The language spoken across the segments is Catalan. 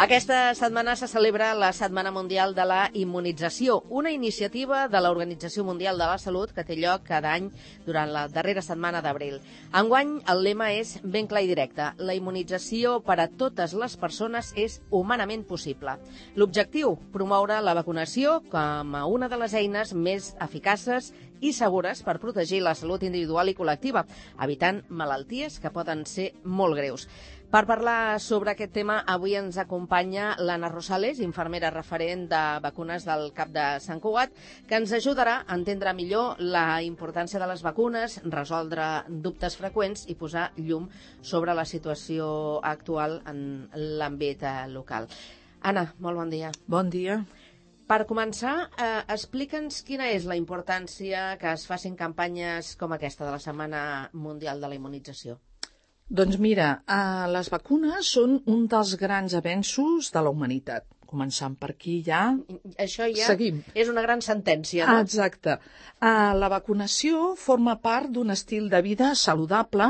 Aquesta setmana se celebra la Setmana Mundial de la Immunització, una iniciativa de l'Organització Mundial de la Salut que té lloc cada any durant la darrera setmana d'abril. Enguany, el lema és ben clar i directe. La immunització per a totes les persones és humanament possible. L'objectiu, promoure la vacunació com a una de les eines més eficaces i segures per protegir la salut individual i col·lectiva, evitant malalties que poden ser molt greus. Per parlar sobre aquest tema, avui ens acompanya l'Anna Rosales, infermera referent de vacunes del CAP de Sant Cugat, que ens ajudarà a entendre millor la importància de les vacunes, resoldre dubtes freqüents i posar llum sobre la situació actual en l'àmbit local. Anna, molt bon dia. Bon dia. Per començar, explica'ns quina és la importància que es facin campanyes com aquesta de la Setmana Mundial de la Immunització. Doncs mira, les vacunes són un dels grans avenços de la humanitat. Començant per aquí ja... Això ja seguim. És una gran sentència, no? Exacte. La vacunació forma part d'un estil de vida saludable,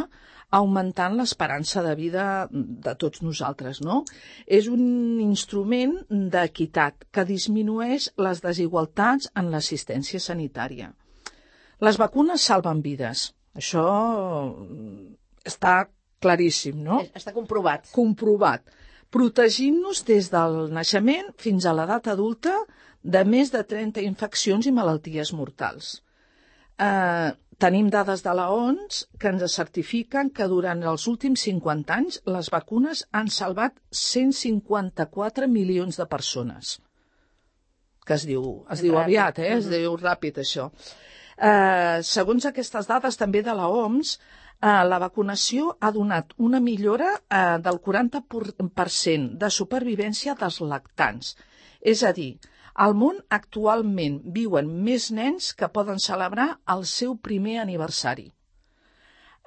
augmentant l'esperança de vida de tots nosaltres, no? És un instrument d'equitat que disminueix les desigualtats en l'assistència sanitària. Les vacunes salven vides. Això està claríssim, no? Està comprovat. Comprovat. Protegint-nos des del naixement fins a l'edat adulta de més de 30 infeccions i malalties mortals. Tenim dades de l'OMS que ens certifiquen que durant els últims 50 anys les vacunes han salvat 154 milions de persones. Que es diu aviat, es diu ràpid, això. Segons aquestes dades també de l'OMS, la vacunació ha donat una millora del 40% de supervivència dels lactants. És a dir, al món actualment viuen més nens que poden celebrar el seu primer aniversari.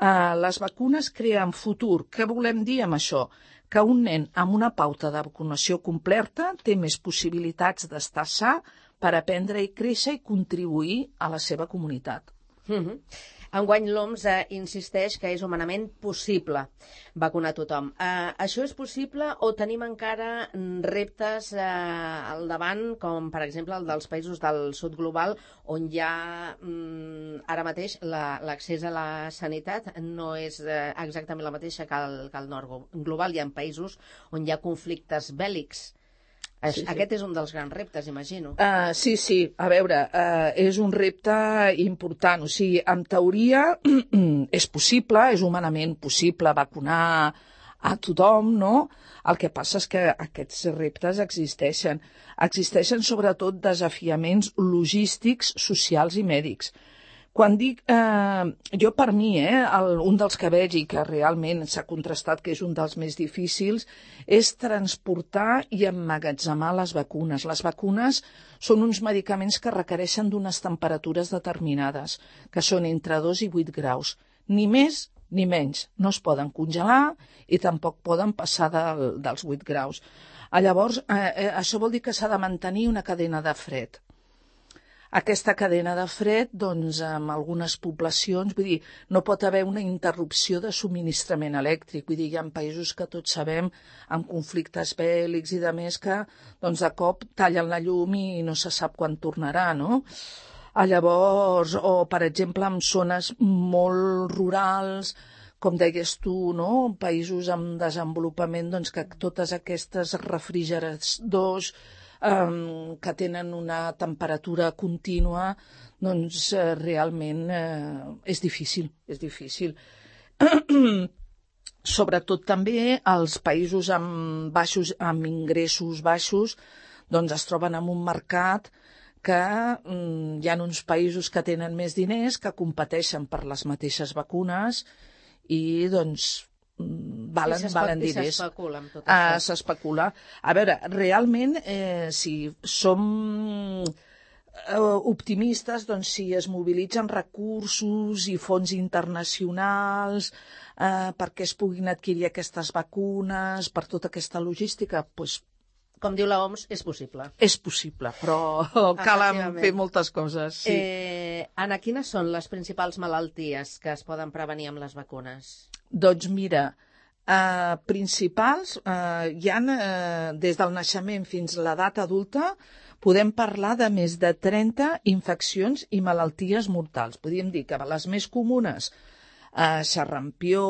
Les vacunes creen futur. Què volem dir amb això? Que un nen amb una pauta de vacunació completa té més possibilitats d'estar sa per aprendre i créixer i contribuir a la seva comunitat. Enguany l'OMS insisteix que és humanament possible vacunar tothom. Això és possible o tenim encara reptes al davant, com per exemple el dels països del sud global, on ja ara mateix l'accés a la sanitat no és exactament la mateixa que el nord global. Hi ha països on hi ha conflictes bèl·lics. Sí. Aquest és un dels grans reptes, imagino. Sí. A veure, és un repte important. O sigui, en teoria és possible, és humanament possible vacunar a tothom, no? El que passa és que aquests reptes existeixen. Existeixen sobretot desafiaments logístics, socials i mèdics. Quan dic, jo per mi, un dels que veig i que realment s'ha contrastat que és un dels més difícils, és transportar i emmagatzemar les vacunes. Les vacunes són uns medicaments que requereixen d'unes temperatures determinades, que són entre 2 i 8 graus. Ni més ni menys. No es poden congelar i tampoc poden passar dels 8 graus. Llavors, això vol dir que s'ha de mantenir una cadena de fred. Aquesta cadena de fred, doncs, en algunes poblacions, vull dir, no pot haver una interrupció de subministrament elèctric. Vull dir, hi ha països que tots sabem, amb conflictes bèl·lics i de més, que doncs, de cop tallen la llum i no se sap quan tornarà, no? Llavors, o per exemple, en zones molt rurals, com deies tu, no? Països amb desenvolupament, doncs, que totes aquestes refrigeradors que tenen una temperatura contínua, doncs realment és difícil. Sobretot també els països amb ingressos baixos doncs es troben en un mercat que hi ha uns països que tenen més diners, que competeixen per les mateixes vacunes i doncs valen diners. I s'especula amb tot això. S'especula. A veure, realment, si som optimistes, doncs si es mobilitzen recursos i fons internacionals perquè es puguin adquirir aquestes vacunes, per tota aquesta logística, doncs com diu l'OMS, és possible. És possible, però cal fer moltes coses. Sí. Anna, quines són les principals malalties que es poden prevenir amb les vacunes? Doncs mira, Principals, hi ha, des del naixement fins a l'edat adulta, podem parlar de més de 30 infeccions i malalties mortals. Podríem dir que les més comunes, xarrampió,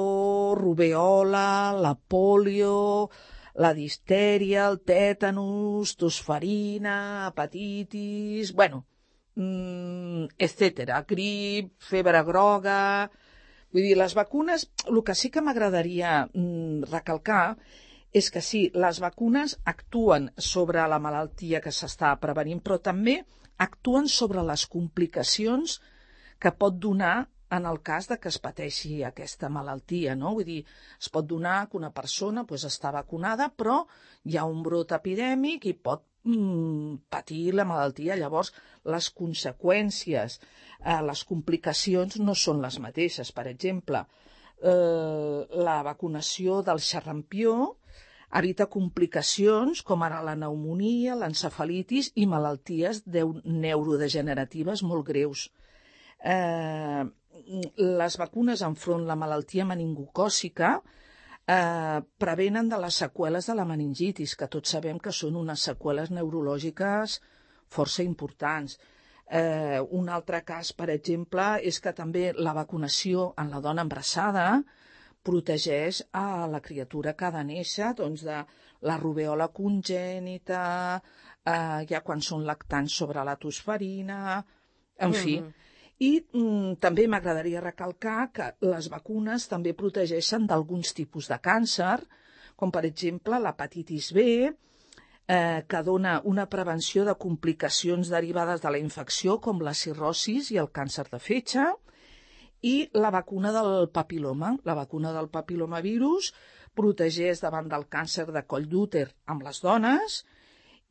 rubèola, la pòlio, la distèria, el tètanus, tosferina, hepatitis, etcètera, grip, febre groga. Vull dir, les vacunes, el que sí que m'agradaria recalcar és que sí, les vacunes actuen sobre la malaltia que s'està prevenint, però també actuen sobre les complicacions que pot donar en el cas de que es pateixi aquesta malaltia, no? Vull dir, es pot donar que una persona està vacunada, però hi ha un brot epidèmic i pot patir la malaltia. Llavors, les conseqüències, les complicacions no són les mateixes. Per exemple, la vacunació del xarrampió evita complicacions com ara la pneumònia, l'encefalitis i malalties neurodegeneratives molt greus. Les vacunes enfront la malaltia meningocòcica prevenen de les seqüeles de la meningitis, que tots sabem que són unes seqüeles neurològiques força importants. Un altre cas, per exemple, és que també la vacunació en la dona embarassada protegeix a la criatura que ha de néixer de la rubèola congènita, ja quan són lactants sobre la tosferina, en fi. I també m'agradaria recalcar que les vacunes també protegeixen d'alguns tipus de càncer, com per exemple l'hepatitis B, que dona una prevenció de complicacions derivades de la infecció, com la cirrosis i el càncer de fetge, i la vacuna del papil·loma. La vacuna del papil·lomavirus protegeix davant del càncer de coll d'úter amb les dones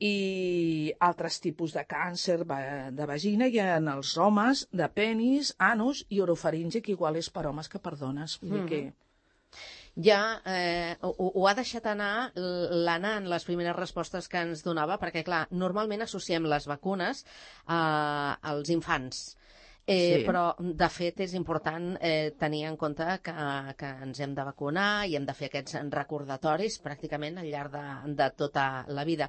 i altres tipus de càncer de vagina i en els homes de penis, anus i orofaringe, que igual és per homes que per dones. Vull dir que... Ja ho ha deixat anar l'Anna en les primeres respostes que ens donava, perquè, clar, normalment associem les vacunes als infants. Sí. Però, de fet, és important tenir en compte que ens hem de vacunar i hem de fer aquests recordatoris pràcticament al llarg de tota la vida.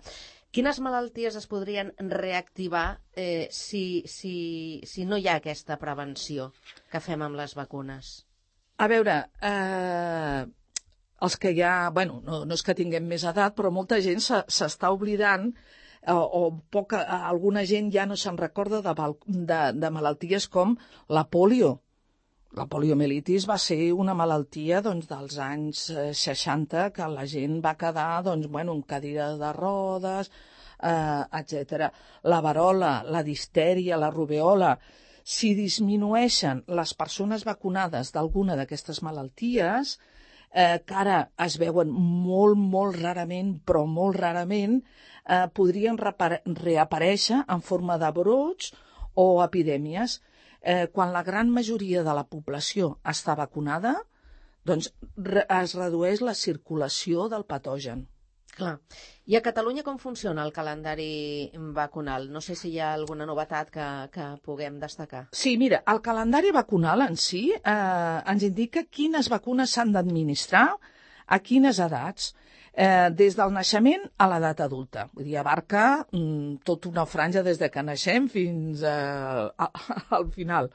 Quines malalties es podrien reactivar si no hi ha aquesta prevenció que fem amb les vacunes? A veure, els que ja... no és que tinguem més edat, però molta gent s'està oblidant alguna gent ja no se'n recorda de malalties com la pòlio. La poliomielitis va ser una malaltia dels anys 60 que la gent va quedar en cadira de rodes, etc. La verola, la distèria, la rubèola. Si disminueixen les persones vacunades d'alguna d'aquestes malalties, que ara es veuen molt, molt rarament, però molt rarament, podrien reaparèixer en forma de brots o epidèmies. Quan la gran majoria de la població està vacunada, doncs es redueix la circulació del patogen. Clar. I a Catalunya com funciona el calendari vacunal? No sé si hi ha alguna novetat que puguem destacar. Sí, mira, el calendari vacunal en si ens indica quines vacunes s'han d'administrar a quines edats, des del naixement a l'edat adulta. Vull dir, abarca tota una franja des de que naixem fins al final.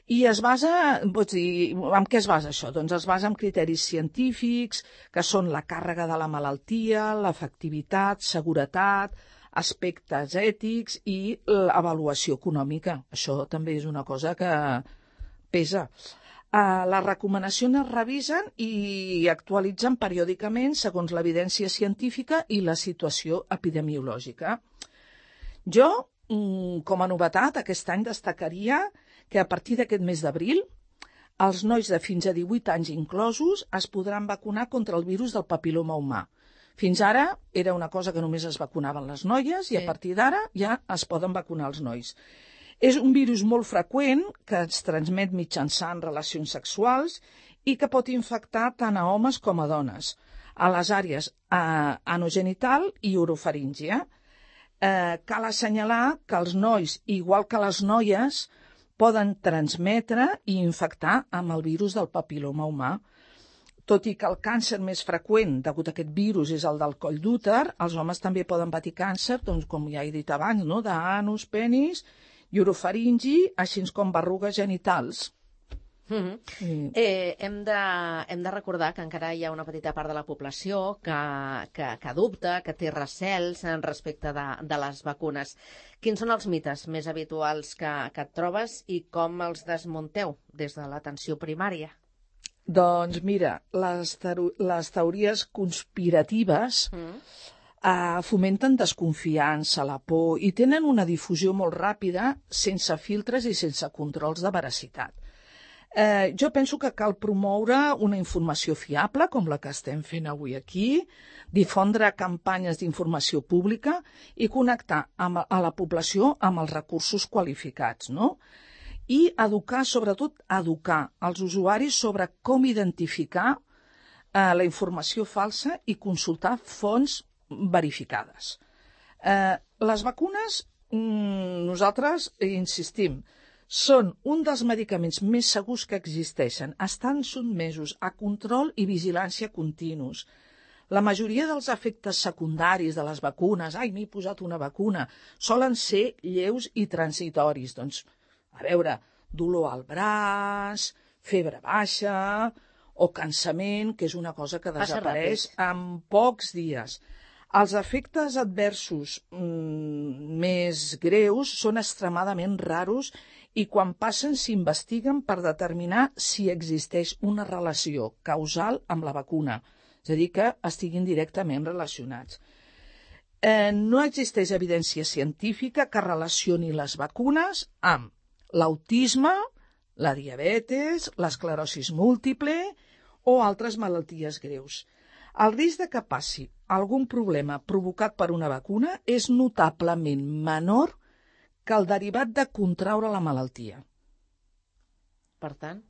I es basa, pots dir, en què es basa això? Doncs es basa en criteris científics, que són la càrrega de la malaltia, l'efectivitat, seguretat, aspectes ètics i l'avaluació econòmica. Això també és una cosa que pesa. Les recomanacions es revisen i actualitzen periòdicament segons l'evidència científica i la situació epidemiològica. Jo, com a novetat, aquest any destacaria que a partir d'aquest mes d'abril els nois de fins a 18 anys inclosos es podran vacunar contra el virus del papil·loma humà. Fins ara era una cosa que només es vacunaven les noies i a partir d'ara ja es poden vacunar els nois. És un virus molt freqüent que es transmet mitjançant relacions sexuals i que pot infectar tant a homes com a dones, a les àrees anogenital i orofaríngia. Cal assenyalar que els nois, igual que les noies, poden transmetre i infectar amb el virus del papil·loma humà. tot i que el càncer més freqüent degut a aquest virus és el del coll d'úter, els homes també poden patir càncer, doncs, com ja he dit abans, no? D'anus, penis i orofaringi, així com berrugues genitals. Hem de recordar que encara hi ha una petita part de la població que dubta, que té recels respecte de les vacunes. Quins són els mites més habituals que et trobes i com els desmunteu des de l'atenció primària? Doncs mira, les teories conspiratives fomenten desconfiança, la por i tenen una difusió molt ràpida, sense filtres i sense controls de veracitat. Jo penso que cal promoure una informació fiable, com la que estem fent avui aquí, difondre campanyes d'informació pública i connectar a la població amb els recursos qualificats, no? I educar, sobretot educar els usuaris sobre com identificar la informació falsa i consultar fonts verificades. Les vacunes, nosaltres insistim, són un dels medicaments més segurs que existeixen. Estan sotmesos a control i vigilància continus. La majoria dels efectes secundaris de les vacunes, m'he posat una vacuna, solen ser lleus i transitoris. Doncs, a veure, dolor al braç, febre baixa o cansament, que és una cosa que desapareix en pocs dies. Els efectes adversos més greus són extremadament raros i quan passen s'investiguen per determinar si existeix una relació causal amb la vacuna, és a dir, que estiguin directament relacionats. No existeix evidència científica que relacioni les vacunes amb l'autisme, la diabetes, l'esclerosi múltiple o altres malalties greus. El risc de que passi algun problema provocat per una vacuna és notablement menor que el derivat de contraure la malaltia. Per tant,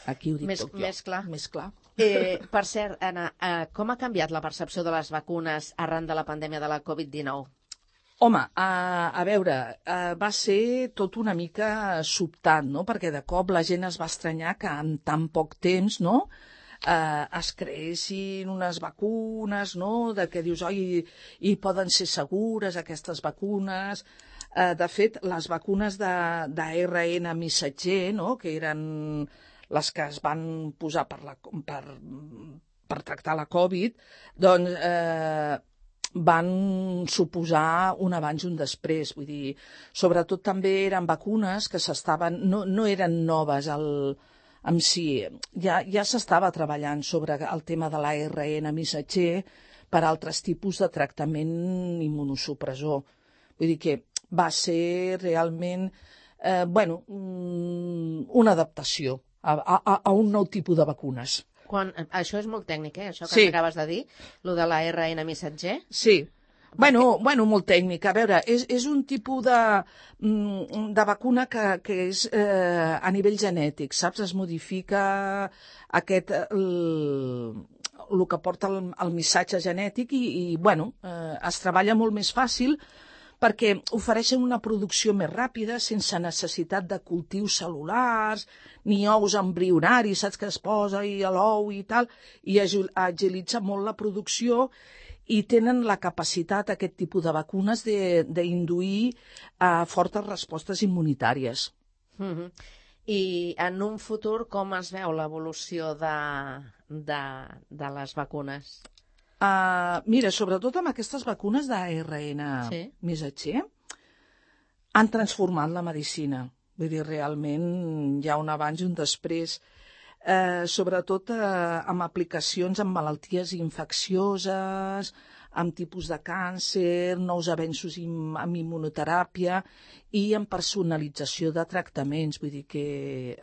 aquí ho dic tot jo. Més clar. Per cert, Anna, com ha canviat la percepció de les vacunes arran de la pandèmia de la Covid-19? Home, a veure, va ser tot una mica sobtant, no? Perquè de cop la gent es va estranyar que en tan poc temps, no?, es creessin unes vacunes, no?, de què dius, i poden ser segures aquestes vacunes. De fet, les vacunes d'ARN missatger, no?, que eren les que es van posar per tractar la Covid, doncs van suposar un abans i un després. Vull dir, sobretot també eren vacunes que no eren noves en si. Ja s'estava treballant sobre el tema de l'ARN missatger per altres tipus de tractament immunosupressor. Vull dir que va ser realment una adaptació a un nou tipus de vacunes. Això és molt tècnic, això que acabes de dir, lo de l'ARN missatger? Sí. Bueno, molt tècnica. A veure, és un tipus de vacuna que és a nivell genètic, saps? Es modifica el que porta el missatge genètic i es treballa molt més fàcil perquè ofereixen una producció més ràpida, sense necessitat de cultius cel·lulars, ni ous embrionaris, saps, que es posa a l'ou i tal, i agilitza molt la producció i tenen la capacitat, aquest tipus de vacunes, d'induir fortes respostes immunitàries. I en un futur, com es veu l'evolució de les vacunes? Mira, sobretot amb aquestes vacunes d'ARN missatger han transformat la medicina. Vull dir, realment hi ha un abans i un després, sobretot amb aplicacions en malalties infeccioses, amb tipus de càncer, nous avenços en immunoteràpia i en personalització de tractaments. Vull dir que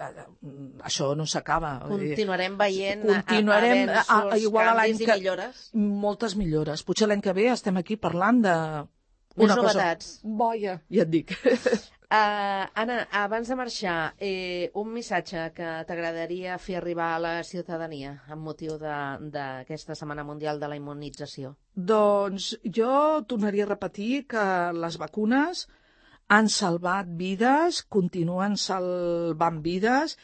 això no s'acaba. Continuarem veient avenços, canvis i millores? Moltes millores. Potser l'any que ve estem aquí parlant de... Més novetats. Boia, ja et dic. Anna, abans de marxar, un missatge que t'agradaria fer arribar a la ciutadania amb motiu d'aquesta Setmana Mundial de la Immunització? Doncs jo tornaria a repetir que les vacunes han salvat vides, continuen salvant vides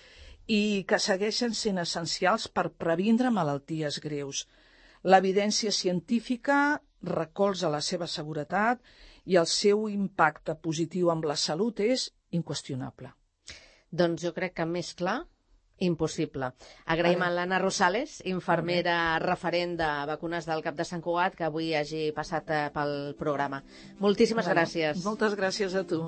i que segueixen sent essencials per previndre malalties greus. L'evidència científica recolza la seva seguretat i el seu impacte positiu amb la salut és inqüestionable. Doncs jo crec que més clar, impossible. Agraïm a l'Anna Rosales, infermera referent de vacunes del Cap de Sant Cugat, que avui hagi passat pel programa. Moltíssimes gràcies. Moltes gràcies a tu.